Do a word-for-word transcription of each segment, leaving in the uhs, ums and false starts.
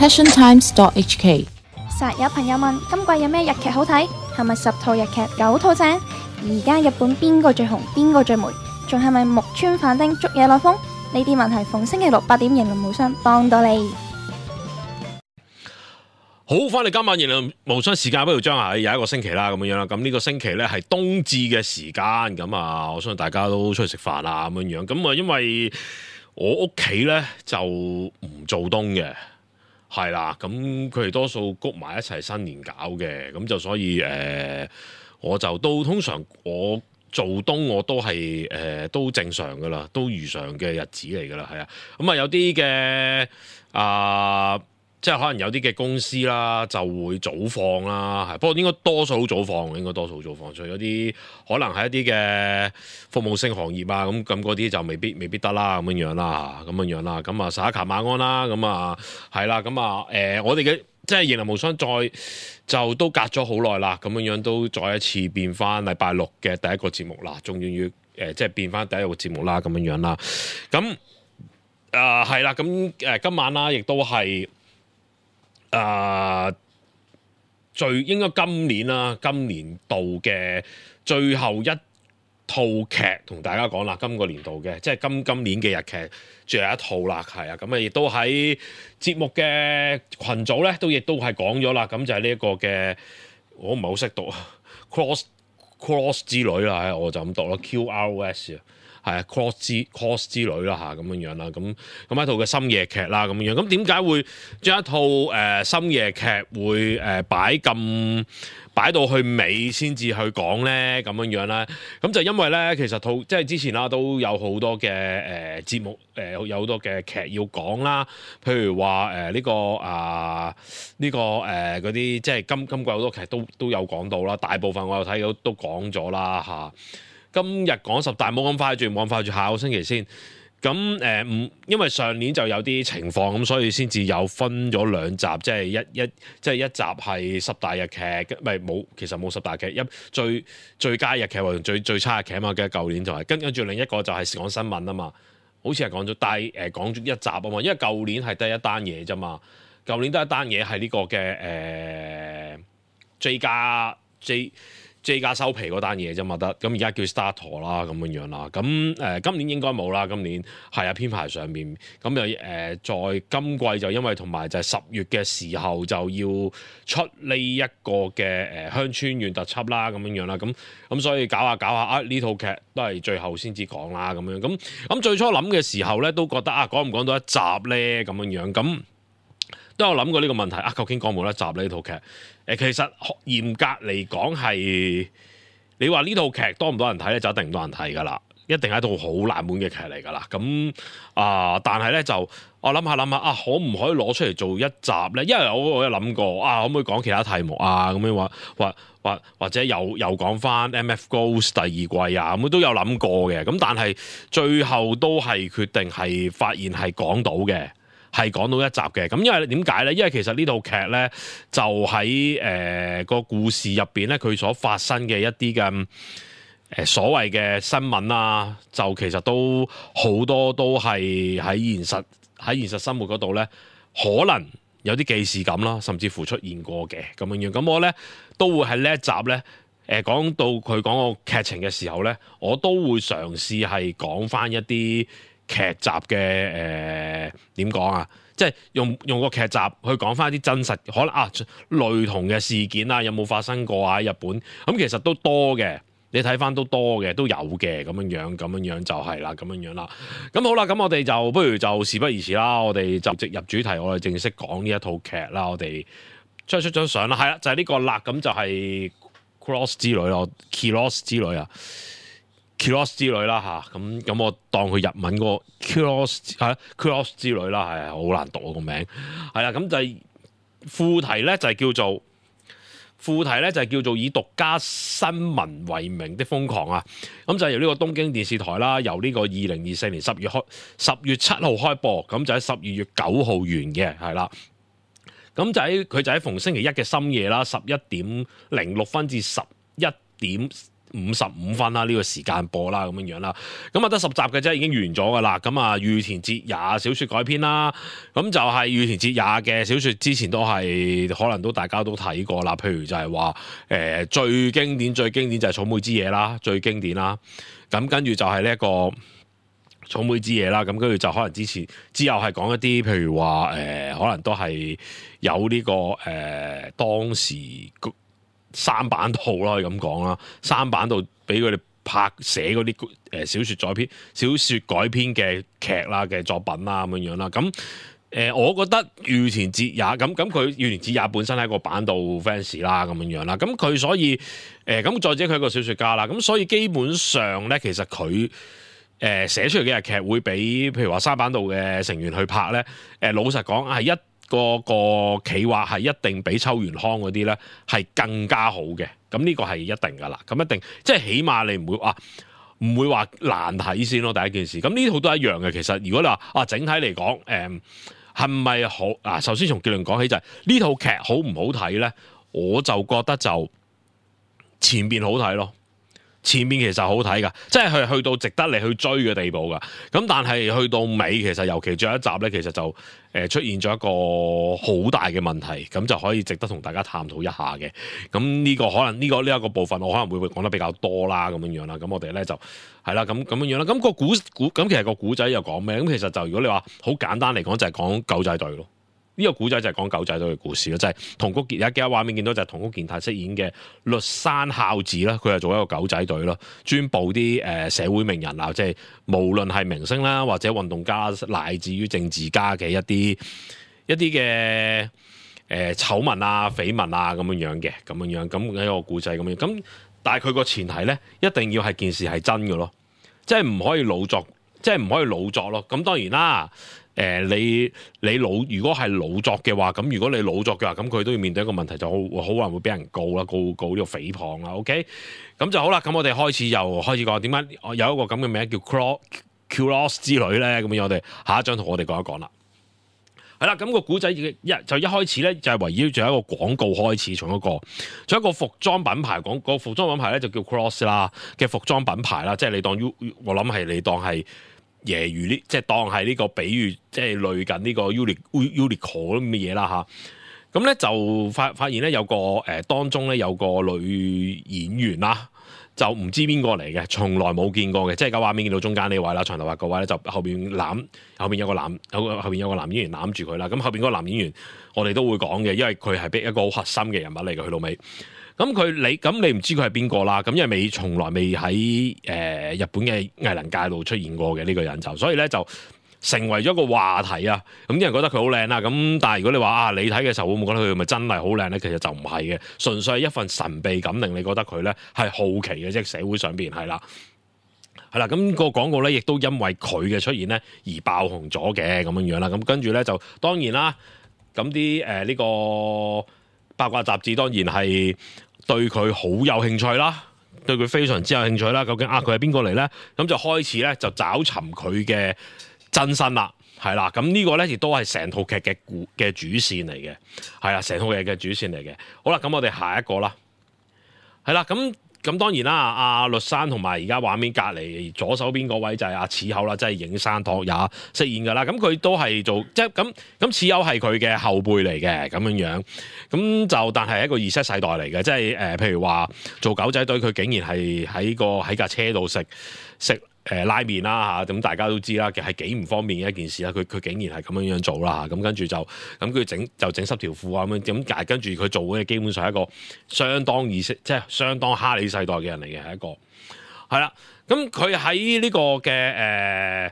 passion times dot h k。實有朋友問今季有咩日劇好睇？係咪十套日劇九套正？而家日本邊個最紅？邊個最霉？仲係咪木村反町捉野內風？呢啲問題逢星期六八點迎龍無雙幫到你。好，翻嚟今晚迎龍無雙時間不如將係有一個星期啦，咁樣樣啦。咁呢個星期咧係冬至嘅時間，咁啊，我相信大家都出去食飯啦，咁樣樣。咁啊，因為我屋企咧就唔做冬嘅。係啦，咁佢哋多數谷埋一齊新年搞嘅，咁就所以誒、呃，我就都通常我做冬我都係誒、呃、都正常噶啦，都如常嘅日子嚟噶啦，係啊，咁啊有啲嘅啊。即係可能有啲嘅公司啦，就會早放啦，係不過應該多數早放，應該多數早放。除咗啲可能係一啲嘅服務性行業啊，咁咁嗰啲就未必未必得啦，咁樣樣啦，咁樣樣啦，咁啊十一卡晚安啦，咁啊係啦，咁啊誒我哋嘅即係迎來無雙再就都隔咗好耐啦，咁樣樣都再一次變翻禮拜六嘅第一個節目啦，終於要誒即係變翻第一個節目啦，咁樣樣啦，咁啊係啦，咁誒今晚啦，亦都係。誒、uh, 最應該今年啦，今年度嘅最後一套劇同大家講啦，今個年度嘅即係今今年嘅日劇最後一套啦，係啊，咁啊亦都喺節目嘅群組咧，都亦都係講咗啦，咁就係呢一個嘅，我唔係好識讀 cross cross 之類啦，我就咁讀啦 Q R O S 啊。係啊 ，cross 之 cross 之類啦嚇，咁樣樣啦，咁咁一套嘅深夜劇啦，咁樣樣，咁點解會將一套誒、呃、深夜劇會誒、呃、擺咁擺到去尾先至去講咧？咁樣樣咧，咁就因為咧，其實套即係之前啦，都有好多嘅誒、呃、節目誒、呃，有好多嘅劇要講啦，譬如話誒呢個啊呢、呢個誒嗰啲即係今今季好多劇都都有講到啦，大部分我有睇到都講咗啦嚇。今日講十大冇咁快住，冇咁快住，下個星期先。咁誒唔，因為上年就有啲情況，咁所以先至有分咗兩集，即係一一即係一集係十大日劇，唔係冇，其實冇十大劇，一最最佳日劇或者最最差日劇啊嘛。嘅舊年就係、是、跟跟住另一個就係講新聞啊嘛，好似係講咗，但係誒講咗一集啊嘛，因為舊年係得一單嘢啫嘛，舊年得一單嘢係呢個嘅誒、呃、J 加 J。J 加收皮嗰單嘢啫嘛得，咁而家叫 Starter 啦咁樣樣啦，咁誒、呃、今年應該冇啦，今年係啊編排上面，咁又誒在今季就因為同埋就係十月嘅時候就要出呢一個嘅誒鄉村縣特輯啦咁樣樣啦，咁咁所以搞下搞下啊呢套劇都係最後先至講啦咁樣，咁咁最初諗嘅時候咧都覺得啊講唔講到一集咧咁樣樣，咁都有諗過呢個問題啊，究竟講冇得集呢套劇？誒，其實嚴格嚟講係，你話呢套劇多唔多人睇咧，就一定唔多人睇噶啦，一定係一套好冷門嘅劇嚟噶啦。咁啊、呃，但係咧就我諗下諗下啊，可唔可以攞出嚟做一集咧？因為我我有諗過啊，可唔可以講其他題目啊？咁樣話或或或者又又講翻 M F Ghost 第二季啊，咁都有諗過嘅。咁但係最後都係決定係發現係講到嘅。係講到一集嘅，咁因為點解咧？因為其實呢套劇咧就喺誒個故事入邊咧，佢所發生嘅一啲嘅誒所謂嘅新聞啊，就其實都好多都係喺現實喺現實生活嗰度咧，可能有啲既視感啦，甚至乎出現過嘅咁樣樣。咁我咧都會喺呢一集咧，誒、呃、講到佢講個劇情嘅時候咧，我都會嘗試係講翻一啲劇集嘅誒點講啊，即係用用個劇集去講翻一啲真實可能啊類同嘅事件啊，有冇發生過啊？喺日本咁其實都多嘅，你睇翻都多嘅，都有嘅咁樣樣，咁樣樣就係啦，咁樣樣啦。咁好啦，咁我哋就不如就事不宜遲啦，我哋就直入主題，我哋正式講呢一套劇啦。我哋出出張相啦，係啦，就係、是、呢個啦，咁就係 Cross 之旅咯 Kiros 之旅啊。Cross 之類啦嚇，咁咁我當佢日文嗰個 Cross 係 Cross 之類啦，係好難讀個名，係啦，咁就係副題咧就係叫做副題咧就係叫做以獨家新聞為名的瘋狂啊，咁就係由呢個東京電視台啦，由呢個二零二四年十月開十月七號開播，咁就喺十二月九號完嘅，係啦，咁就喺佢就喺逢星期一嘅深夜啦，十一點零六分至十一點。五十五分啦，呢個時間播啦咁樣樣啦。咁啊得十集嘅啫，已經完咗噶啦。咁啊羽田哲也小説改編啦，咁就係羽田哲也嘅小説，之前都係可能都大家都睇過啦。譬如就係話誒最經典最經典就係草莓之夜啦，最經典啦。咁跟住就係呢一個草莓之夜啦，咁跟住就可能之前之後係講一啲譬如話誒、呃，可能都係有呢、這個誒、呃、當時三版套啦，可以咁講啦，三版套俾佢哋拍寫嗰啲誒小説改編、小説改編嘅劇啦嘅作品啦咁樣樣啦，咁誒、呃、我覺得羽田哲也咁咁佢羽田哲也本身係一個版道 fans 啦咁樣樣啦，咁佢所以誒咁、呃、再者佢係一個小説家啦，咁所以基本上咧其實佢誒寫出嚟嘅日劇會比譬如話三版道嘅成員去拍咧，誒、呃、老實講係一個個企劃係一定比秋元康嗰啲咧係更加好嘅，咁呢個係一定噶啦，咁一定即係起碼你唔會話唔會話難睇先咯，第一件事。咁呢套都係一樣嘅，其實如果你話啊整體嚟講，誒係咪好啊？首先從結論講起就係、是、呢套劇好唔好睇咧？我就覺得就前邊好睇咯。前面其實好睇噶，即係去去到值得你去追嘅地步噶。咁但係去到尾，其實尤其最後一集咧，其實就誒出現咗一個好大嘅問題，咁就可以值得同大家探討一下嘅。咁呢個可能呢、這個呢一、這個部分，我可能會會講得比較多啦，咁樣樣啦。咁我哋咧就係啦，咁咁樣樣啦。咁、那個古古咁其實個古仔又講咩？咁其實就如果你話好簡單嚟講，就係講狗仔隊咯。呢個古仔就係講狗仔隊嘅故事咯，就係桐谷健，而家幾個畫面見到就係桐谷健太飾演嘅栗山孝子啦，佢係做一個狗仔隊咯，專捕啲誒社會名人啊，即係無論係明星啦，或者運動家，乃至於政治家嘅一啲一啲嘅誒醜聞啊、緋聞啊咁樣樣嘅，咁樣樣咁一個故仔咁樣，咁但係佢個前提咧，一定要係件事係真嘅咯，即係唔可以老作，即係唔可以老作咯。咁當然啦。誒、呃、你你老如果係老作嘅話，咁如果你老作嘅話，咁佢都要面對一個問題，就好好可能會俾人告啦，告告呢個誹謗啦。OK，咁就好啦。咁我哋開始又開始講點解有一個咁嘅名叫 Cross Cross 之旅咧？咁樣我哋下一張圖我哋講一講啦。係啦，咁、那個古仔一就一開始咧就係圍繞住一個廣告開始，從一個從一個服裝品牌講、那個服裝品牌咧就叫 Cross 啦嘅服裝品牌啦，即係你當 U 我諗係你當係。揶揄呢，即係當係呢個比喻，即係類近呢個 Uniqlo 咁嘅嘢啦嚇。咁咧就發發現咧有個誒、呃、當中咧有個女演員啦，就唔知邊個嚟嘅，從來冇見過嘅。即係個畫面見到中間呢位啦，長頭髮個位咧就後邊攬後邊有個男有個後邊有個男演員攬住佢啦。咁後邊嗰個男演員我哋都會講嘅，因為佢係一個好核心嘅人物嚟嘅，去到尾。咁佢你咁你唔知佢係邊個啦？咁因為未從來未喺誒、呃、日本嘅藝能界度出現過嘅呢、這個人就，所以咧就成為咗個話題啊！咁啲人覺得佢好靚啦，咁但係如果你話啊，你睇嘅時候會唔會覺得佢咪真係好靚咧？其實就唔係嘅，純粹係一份神秘感令你覺得佢咧係好奇嘅，即係社會上邊係啦，係啦。咁、那個廣告咧亦都因為佢嘅出現咧而爆紅咗嘅咁樣樣啦。咁跟住咧就當然啦，咁啲誒呢個八卦雜誌當然係對佢好有興趣啦，對佢非常之有興趣啦。究竟啊佢係邊個嚟咧？咁就開始咧就找尋佢嘅真身啦，係啦。咁呢個咧亦都係成套劇嘅故嘅主線嚟嘅，係啦，成套劇嘅主線嚟嘅。好啦，咁我哋下一個啦，係啦，咁。咁當然啦，阿栗山同埋而家畫面隔離左手邊嗰位就係阿矢口啦，即係影山拓也飾演㗎啦。咁佢都係做即係咁咁，矢口係佢嘅後輩嚟嘅咁樣樣。咁就但係一個 Z 世代嚟嘅，即係誒、呃，譬如話做狗仔隊，佢竟然係喺個喺架車度食食誒拉麵啦嚇。咁大家都知啦，其實係幾唔方便嘅一件事啦。佢佢竟然係咁樣樣做啦嚇。咁跟住就咁佢整就整濕條褲啊咁樣。咁但係跟住佢做嘅基本上係一個相當意識，即係相當哈里世代嘅人嚟嘅，係一個係啦。咁佢喺呢個嘅誒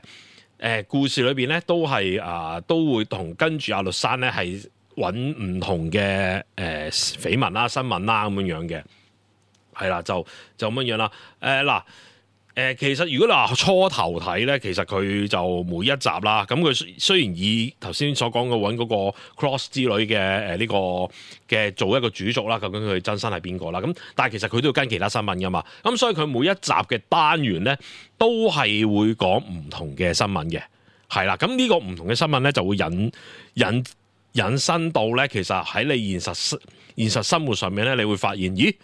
誒故事裏邊咧，都係啊、呃、都會同跟住阿栗山咧係揾唔同嘅誒、呃、緋聞啦、新聞啦咁樣樣嘅，係啦，就就咁樣樣啦。誒、呃、嗱。誒、呃、其實如果你話初頭睇咧，其實佢就每一集啦。咁佢雖然以頭先所講嘅揾嗰個 Cross 之旅嘅誒呢個嘅做一個主軸啦，究竟佢真身係邊個啦？咁但係其實佢都要跟其他新聞噶嘛。咁所以佢每一集嘅單元咧，都係會講唔同嘅新聞嘅，係啦。咁呢個唔同嘅新聞咧，就會引引引申到咧，其實喺你現實現實生活上面咧，你會發現，咦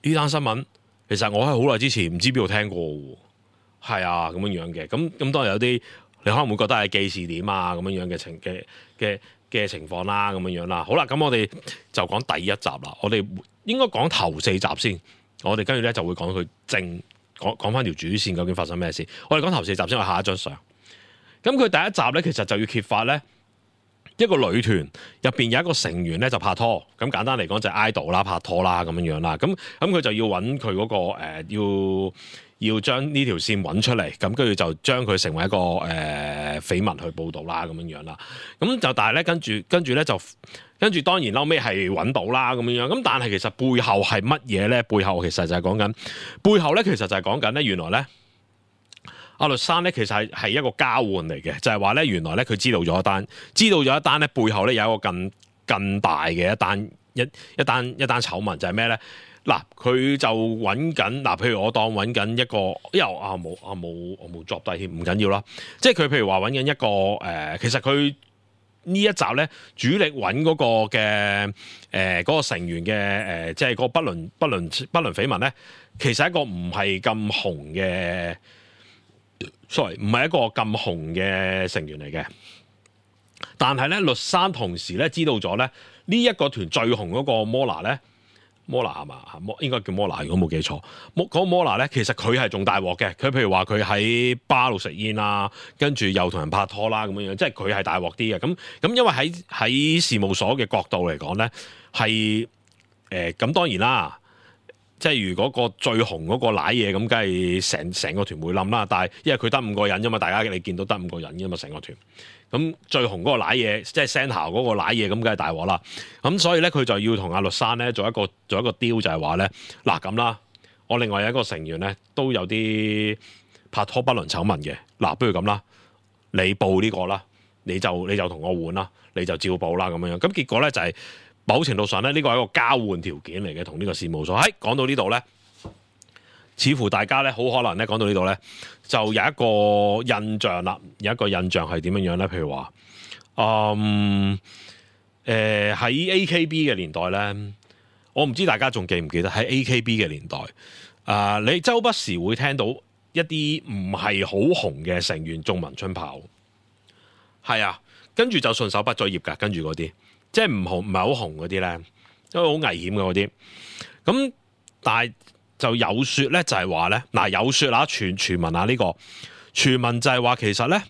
呢單新聞？其實我係好耐之前唔知邊度聽過喎，係啊咁樣樣嘅。咁咁當然有啲你可能會覺得係記事點啊咁樣樣嘅情嘅嘅嘅情況啦，咁樣樣啦。好啦，咁我哋就講第一集啦。我哋應該講頭四集先，我哋跟住咧就會講佢正講講翻條主線究竟發生咩事。我哋講頭四集先，我下一張相。咁佢第一集咧，其實就要揭發咧一個女團入邊有一個成員咧就拍拖。咁簡單嚟講就係 idol 啦，拍拖啦咁樣樣啦。咁咁佢就要揾佢嗰個、呃、要。要將呢條線揾出嚟，咁跟住就將佢成為一個誒、呃、緋聞去報導啦，咁樣樣啦。咁就但係咧，跟住跟住咧就跟住當然後尾係揾到啦，咁樣樣。咁但係其實背後係乜嘢咧？背後其實就係講緊背後咧，其實就係講緊咧，原來咧阿律生咧其實係係一個交換嚟嘅，就係話咧原來咧佢知道咗一單，知道咗一單咧背後咧有一個更更大嘅一單一一單一單醜聞，就係咩咧？嗱，佢就揾緊嗱，譬如我當揾緊一個，因為啊冇啊冇我冇作低添，唔緊要啦。即係佢譬如話揾緊一個誒、呃，其實佢呢一集咧主力揾嗰個嘅誒嗰個成員嘅誒、呃，即係嗰個不倫不倫不倫緋聞咧，其實係一個唔係咁紅嘅，sorry， 唔係一個咁紅嘅成員嚟嘅。但係咧，律生同時咧知道咗咧呢一個團最紅嗰個 Mola 咧。摩拿係嘛？應該叫摩拿，如果冇記錯。摩嗰個摩拿咧，其實佢係仲大鑊嘅。佢譬如話佢喺巴度食煙啦，跟住又同人拍拖啦咁樣樣，即係佢係大鑊啲嘅。咁咁因為喺喺事務所嘅角度嚟講咧，係誒咁當然啦。即係如果個最紅嗰個瀨嘢咁，梗係成成個團會冧啦。但係因為佢得五個人啫嘛，大家你見到得五個人啫嘛，成個團。咁最紅嗰個瀨嘢，即係 Centre 嗰個瀨嘢，咁梗係大鑊啦。咁所以咧，佢就要同阿律生咧做一個做一個 deal，就係話咧，嗱咁啦，我另外有一個成員咧都有啲拍拖不倫醜聞嘅。嗱，不如咁啦，你報呢個啦，你就你就同我換啦，你就照報啦咁樣樣。咁結果咧就係、是。某程度上咧，呢個係一個交換條件嚟嘅，同呢個事務所。喺、哎、講到呢度咧，似乎大家咧好可能咧講到呢度咧，就有一個印象啦。有一個印象係點樣樣咧？譬如話，嗯，誒、呃、喺 A K B 嘅年代咧，我唔知大家仲記唔記得喺 A K B 嘅年代，啊、呃，你周不時會聽到一啲唔係好紅嘅成員中文春炮，係啊，跟住就順手畢咗業㗎，跟住嗰啲。即係唔紅唔係好紅嗰啲咧，都好危險嘅嗰啲。咁但係就有説咧，就係話咧，嗱有説啦，傳傳聞啊呢個傳聞就係話其實咧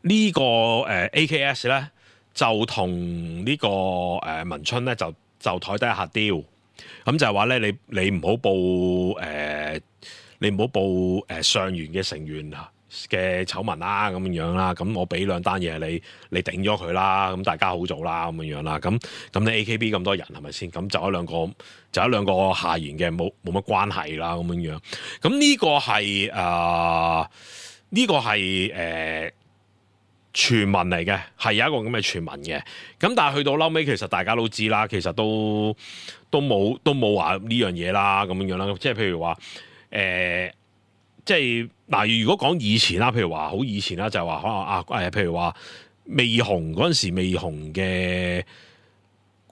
呢、這個誒、呃、A K S 咧就同呢、這個誒、呃、文春咧就就台底下 deal。咁就係話咧，你你唔好報誒、呃，你唔好報誒上元嘅成員啊嘅醜聞啦，咁樣樣啦，咁我俾兩單嘢你，你頂咗佢啦，咁大家好做啦，咁樣樣啦，咁咁你 A K B 咁多人係咪先？咁就一兩個，就一兩個下言嘅，冇冇乜關係啦，咁樣樣。咁呢個係誒呢個係誒傳聞嚟嘅，係有一個咁嘅傳聞嘅。咁但係去到嬲尾，其實大家都知啦，其實都都冇都冇話呢樣嘢啦，咁樣樣啦。即係譬如話誒。呃即係嗱，如果講以前啦，譬如話好以前啦，就係話可能啊誒，譬如話未紅嗰陣時未紅嘅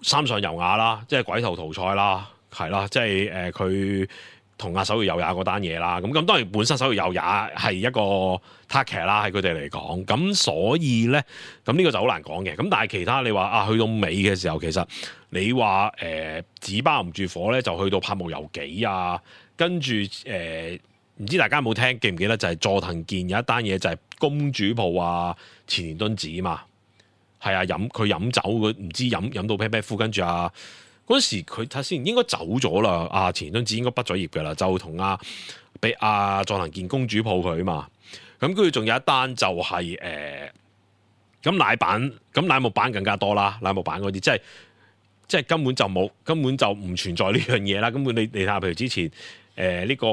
三上悠亞啦，即係鬼頭桃菜啦，係啦，即係誒佢同阿手搖悠亞嗰單嘢啦。咁咁當然本身手搖悠亞係一個 target 啦，喺佢哋嚟講。咁所以咧，咁呢個就好難講嘅。咁但係其他你話啊，去到尾嘅時候，其實你話誒紙包唔住火咧，就去到拍無遊記啊，跟住誒。呃唔知大家有冇聽記唔記得就係佐藤健有一單嘢就係公主抱啊前田敦子嘛，係啊飲佢飲酒佢唔知飲飲到啤啤夫，跟住啊嗰時佢睇先應該走咗啦，啊前田敦子應該畢咗業㗎啦，就同啊俾啊佐藤健公主抱佢嘛，咁跟住仲有一單就係誒咁奶版咁奶木版更加多啦，奶木版嗰啲即係即係根本就冇根本就唔存在呢樣嘢啦，根本你你睇下譬如之前。誒呢、呃這個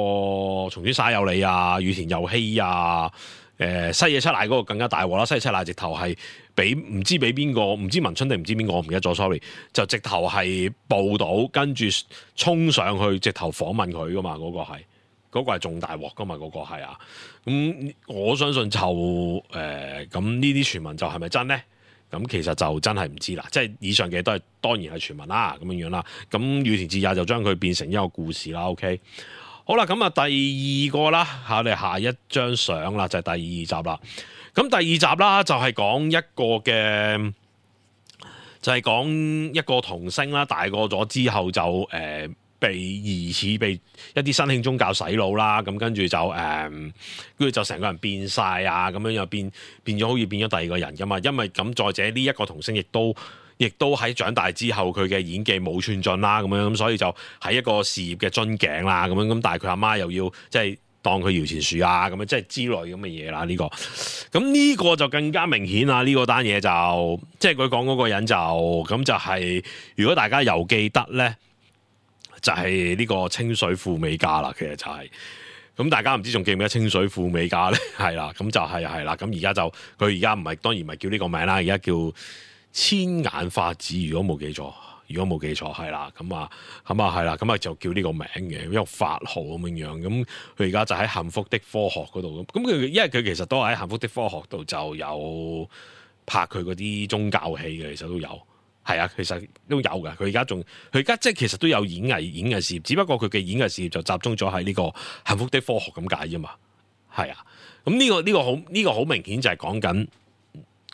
松村沙友理啊、羽田佑希啊、誒、呃、西野七瀨嗰個更加大鑊啦！西野七瀨直頭係俾唔知俾邊個，唔知文春定唔知邊個，我唔記得咗，sorry。就直頭係報到，跟住衝上去，直頭訪問佢噶嘛，嗰、那個係嗰、那個係仲大鑊噶嘛，嗰、那個係啊。咁、嗯、我相信就誒咁呢啲傳聞就係咪真咧？咁其實就真係唔知啦，即係以上嘅都係當然係傳聞啦，咁樣樣啦。咁羽田智也就將佢變成一個故事啦。OK， 好啦，咁啊第二個啦，我哋下一張相啦，就係、是、第二集啦。咁第二集啦，就係、是、講一個嘅，就係、是、講一個童星啦，大個咗之後就誒。呃被疑似被一啲新興宗教洗腦啦，咁跟住就誒，跟、嗯、住就成個人變晒啊，咁樣又變變咗好似變咗第二個人噶嘛。因為咁再者呢一個童星亦都亦都喺長大之後佢嘅演技冇寸進啦，咁樣咁所以就喺一個事業嘅樽頸啦，咁樣咁但係佢阿媽又要即係當佢搖錢樹啊，咁樣即係之類咁嘅嘢啦。呢、這個咁呢個就更加明顯啦。呢、這個單嘢就即係佢講嗰個人就咁就係、是，如果大家又記得咧。就係呢個清水富美加啦，其實就係、是、咁，大家唔知仲記唔記得清水富美加咧？係啦，咁就係係啦，咁而家就佢而家唔係當然唔係叫呢個名啦，而家叫千眼法子，如果冇記錯，如果冇記錯係啦，咁啊咁啊係啦，咁啊就叫呢個名嘅，一個法號咁樣樣，咁佢而家就喺幸福的科學嗰度咁，咁佢因為佢其實都喺幸福的科學度就有拍佢嗰啲宗教戲嘅，其實都有。係啊，其實都有嘅。佢而家仲，佢而家即係其實都有演藝演藝事業，只不過佢嘅演藝事業就集中咗喺呢個幸福的科學咁解啫嘛。係啊，咁呢個呢個好呢個好明顯就係講緊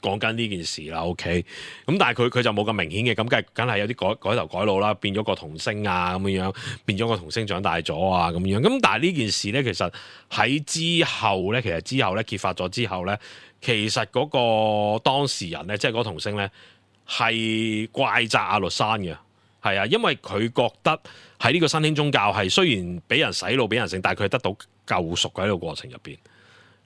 講緊呢件事啦。OK，咁但係佢佢就冇咁明顯嘅，咁梗係梗係有啲改改頭改腦啦，變咗個童星啊咁樣樣，變咗個童星長大咗啊咁樣。咁但係呢件事咧，其實喺之後咧，其實之後咧揭發咗之後咧，其實嗰個當事人咧，即係嗰個童星咧。係怪責阿律山嘅，係啊，因為佢覺得喺呢個新興宗教係雖然俾人洗腦、俾人勝，但係佢係得到救贖嘅喺呢個過程入邊，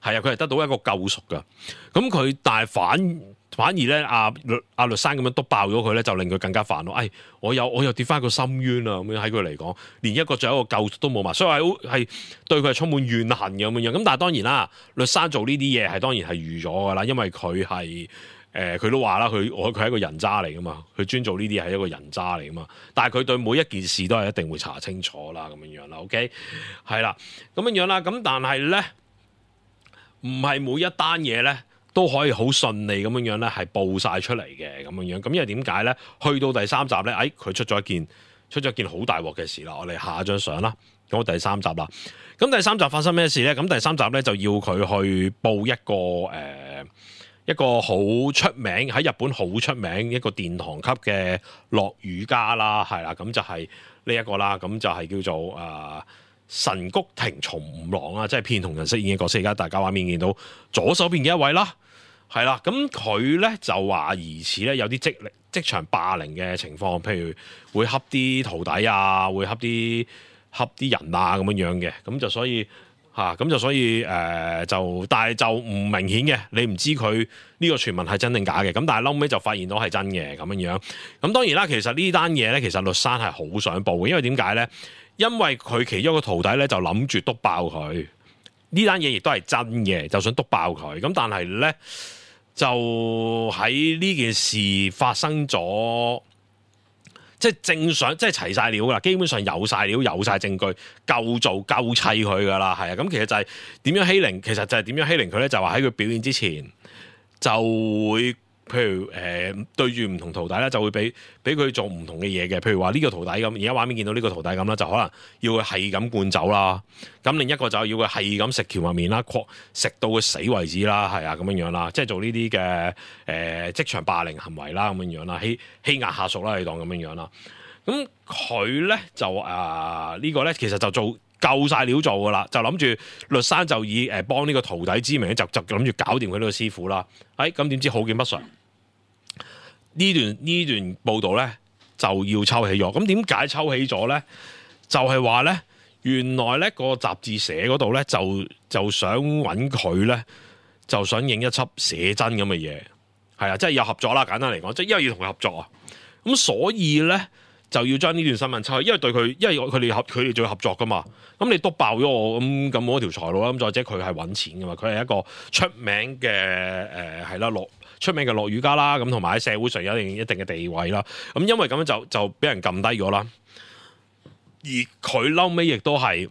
係啊，佢係得到一個救贖嘅。咁佢但係反反而咧，阿、啊、阿律山咁樣篤爆咗佢咧，就令佢更加煩惱。哎，我又我又跌翻個深淵啊！咁樣喺佢嚟講，連一個仲有一個救贖都冇埋，所以係係對佢係充滿怨恨嘅咁樣。咁但係當然啦，律山做呢啲嘢係當然係預咗㗎啦，因為佢係。誒佢、呃、都話啦，佢我佢係一個人渣嚟噶嘛，佢專做呢啲係一個人渣嚟噶嘛。但係佢對每一件事都係一定會查清楚啦，咁樣樣啦。OK，係啦，咁樣樣啦。咁但係咧，唔係每一單嘢咧都可以好順利咁樣樣咧係報晒出嚟嘅咁樣樣。咁因為點解咧？去到第三集咧，誒佢出咗一件出咗一件好大鑊嘅事啦。我哋下一張相啦，講第三集啦。咁第三集發生咩事咧？咁第三集咧就要佢去報一個誒。呃一個好出名喺日本好出名一個殿堂級嘅落語家啦，係啦，咁就係呢一個啦，咁就係叫做啊、呃、神谷町松五郎啦，即係片桐人飾演嘅角色。而家大家畫面見到左手邊嘅一位啦，係啦，咁佢咧就話疑似咧有啲職職場霸凌嘅情況，譬如會恰啲徒弟啊，會恰啲恰啲人啊咁樣樣嘅，咁就所以。嚇咁、啊、就所以誒、呃、就，但係就唔明顯嘅，你唔知佢呢個傳聞係真定假嘅。咁但係後尾就發現到係真嘅咁樣樣。咁當然啦，其實呢單嘢咧，其實律山係好想報嘅，因為點解咧？因為佢其中一個徒弟咧就諗住篤爆佢，呢單嘢亦都係真嘅，就想篤爆佢。咁但係咧就喺呢件事發生咗。即係正常，即係齊晒料噶啦，基本上有晒料、有晒證據，夠做夠砌佢噶啦，係啊。咁其實就係點樣欺凌，其實就係點樣欺凌佢咧？就話喺佢表演之前，就會譬如誒、呃、對住唔同徒弟咧，就會俾俾佢做唔同嘅嘢嘅。譬如話呢個徒弟咁，而家畫面見到呢個徒弟咁啦，就可能要佢係咁灌酒啦。咁另一個就要佢係咁食蕎麥麵啦，擴食到佢死為止啦，係啊咁樣樣啦，即係做呢啲嘅誒職場霸凌行為啦，咁樣樣啦，欺欺壓下屬啦，你當咁樣樣啦。咁佢咧就啊、呃這個、呢個咧其實就做夠晒料做噶啦，就諗住律山就以誒幫呢個徒弟之名就就諗住搞掂佢呢個師傅啦。誒咁點知好景不常，呢段呢段報導咧就要抽起咗。咁點解抽起咗咧？就係話咧。原來咧個雜誌社嗰度咧就就想揾佢咧，就想影一輯寫真咁嘅嘢，係啊，即係有合作啦。簡單嚟講，即係因為要同佢合作啊，咁所以咧就要將呢段新聞抽去，因為對佢，因為佢哋合佢哋仲要合作噶嘛。咁你篤爆咗我，咁咁我條財路啦。咁再者佢係揾錢噶嘛，佢係一個出名嘅誒係啦落出名嘅落語家啦，咁同埋喺社會上有一定一定嘅地位啦。咁因為咁樣就就俾人撳低咗啦。而佢嬲尾亦都係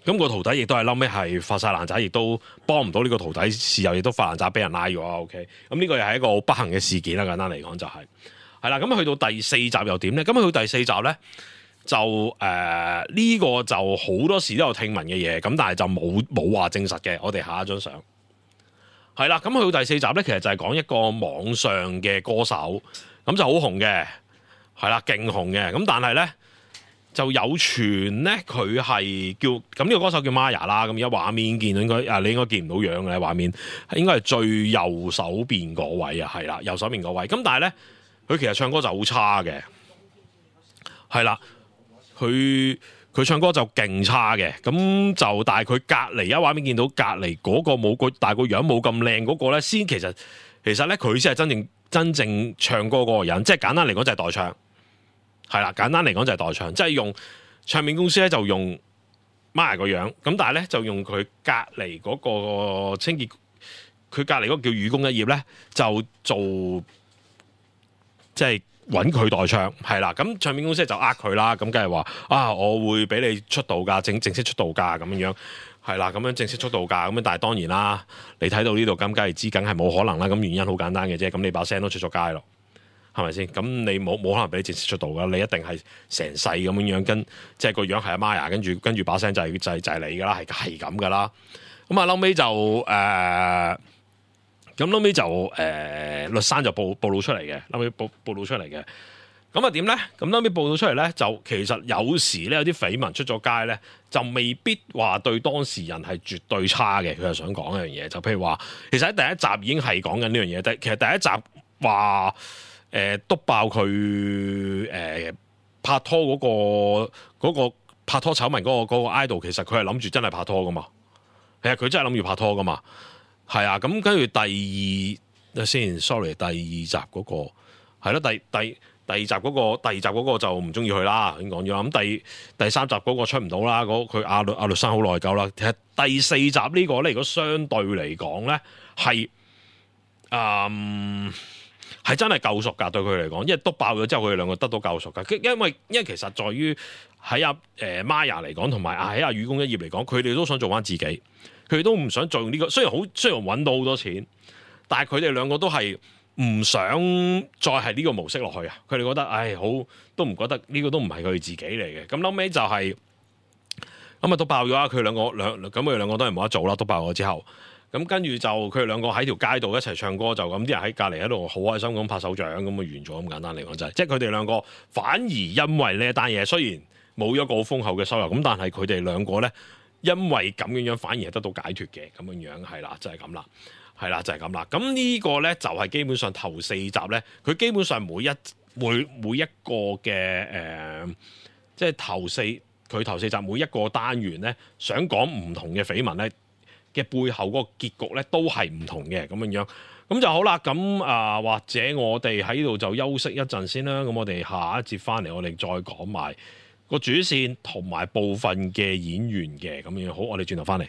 咁個徒弟亦都係嬲尾係發晒爛渣，亦都幫唔到呢個徒弟，事後亦都發爛渣俾人拉咗。OK，咁呢個又係一個好不幸嘅事件啦。簡單嚟講就係係啦。咁去到第四集又點咧？咁去到第四集咧就誒呢、呃呢個就好多時都有聽聞嘅嘢，咁但係就冇冇話證實嘅。我哋下一張相係啦。咁去到第四集咧，其實就係講一個網上嘅歌手，咁就好紅嘅，係啦，勁紅嘅。咁但係咧。就有傳咧，佢係叫咁呢個歌手叫 Maya 啦。咁而家畫面見到應該啊，你應該見唔到樣嘅畫面，應該係最右手邊嗰位啊，係啦，右手邊嗰位。咁但係咧，佢其實唱歌就好差嘅，係啦，佢佢唱歌就勁差嘅。咁就但係佢隔離，而家畫面見到隔離嗰個冇個，但係個樣冇咁靚嗰個咧，先其實其實咧佢先係真正真正唱歌嗰個人，即係簡單嚟講就係代唱。係啦，簡單嚟講就係代唱，即係用唱片公司咧就用 Maya 個樣，咁但係咧就用佢隔離嗰個清潔，佢隔離嗰個叫雨宮一葉咧就做即係揾佢代唱，係啦，咁唱片公司就呃佢啦，咁梗係話啊，我會俾你出道㗎，正正式出道㗎咁樣，係啦，咁樣正式出道㗎，咁樣但係當然啦，你睇到呢度咁梗係知，梗係冇可能啦，咁原因好簡單嘅啫，咁你把聲都出咗街咯。係咪先？咁你冇冇可能俾你正式出道噶？你一定係成世咁樣樣，跟即係個樣係阿 Maya，跟住跟住把聲就係、是、就係、是、就係、是、你噶啦，係係咁噶啦。咁啊，後尾就誒，咁、呃、後尾就誒、呃，律山就報報道出嚟嘅，後尾報報道出嚟嘅。咁啊點咧？咁後尾報道出嚟咧，就其實有時咧有啲緋聞出咗街咧，就未必話對當事人係絕對差嘅。佢係想講一樣嘢，就譬如話，其實喺第一集已經係講緊呢樣嘢。但其實第一集話。誒篤、呃、爆佢誒、呃、拍拖嗰、嗰個嗰個拍拖醜聞嗰個嗰個 idol， 其實佢係諗住真係拍拖噶嘛，係啊，佢真係諗住拍拖噶嘛，係啊，咁跟住第二先 sorry 第二集嗰、嗰個係咯，第第第二集嗰、嗰個第二集嗰個就唔中意佢啦，已經講咗啦。咁第第三集嗰個出唔到啦，嗰佢阿律阿律生好內疚啦。其實第四集呢、呢個咧，如果相對嚟講咧係嗯。係真係救贖㗎，對佢嚟講，因為篤爆咗之後，佢哋兩個得到救贖㗎。因為因為其實在於喺阿誒 Maya 嚟講，同埋喺阿雨宮一葉嚟講，佢哋都想做翻自己，佢哋都唔想做呢、呢個。雖然好雖然揾到好多錢，但係佢哋兩個都係唔想再係呢個模式落去啊！佢哋覺得唉，好都唔覺得呢個都唔係佢哋自己嚟嘅。咁後尾就係咁啊，篤爆咗啦！佢兩個兩咁佢哋兩個都係冇得做啦。篤爆咗之後。咁跟住就佢哋兩個喺條街度一齊唱歌，就咁啲人喺隔離喺度好開心咁拍手掌咁啊，完咗咁簡單嚟講就係，即係佢哋兩個反而因為呢一單嘢，雖然冇一個好豐厚嘅收入，咁但係佢哋兩個咧，因為咁樣樣反而係得到解脫嘅咁樣樣，係啦，就係咁啦，係啦，就係咁啦。咁呢個咧就係基本上頭四集咧，佢基本上每一每每一個嘅誒、呃，即係頭四佢頭四集每一個單元咧，想講唔同嘅緋聞咧。嘅背後嗰個結局咧都係唔同嘅咁樣樣，咁就好啦。咁啊、呃，或者我哋喺度就休息一陣先啦。咁我哋下一節翻嚟，我哋再講埋個主線同埋部分嘅演員嘅咁樣。好，我哋轉頭翻嚟。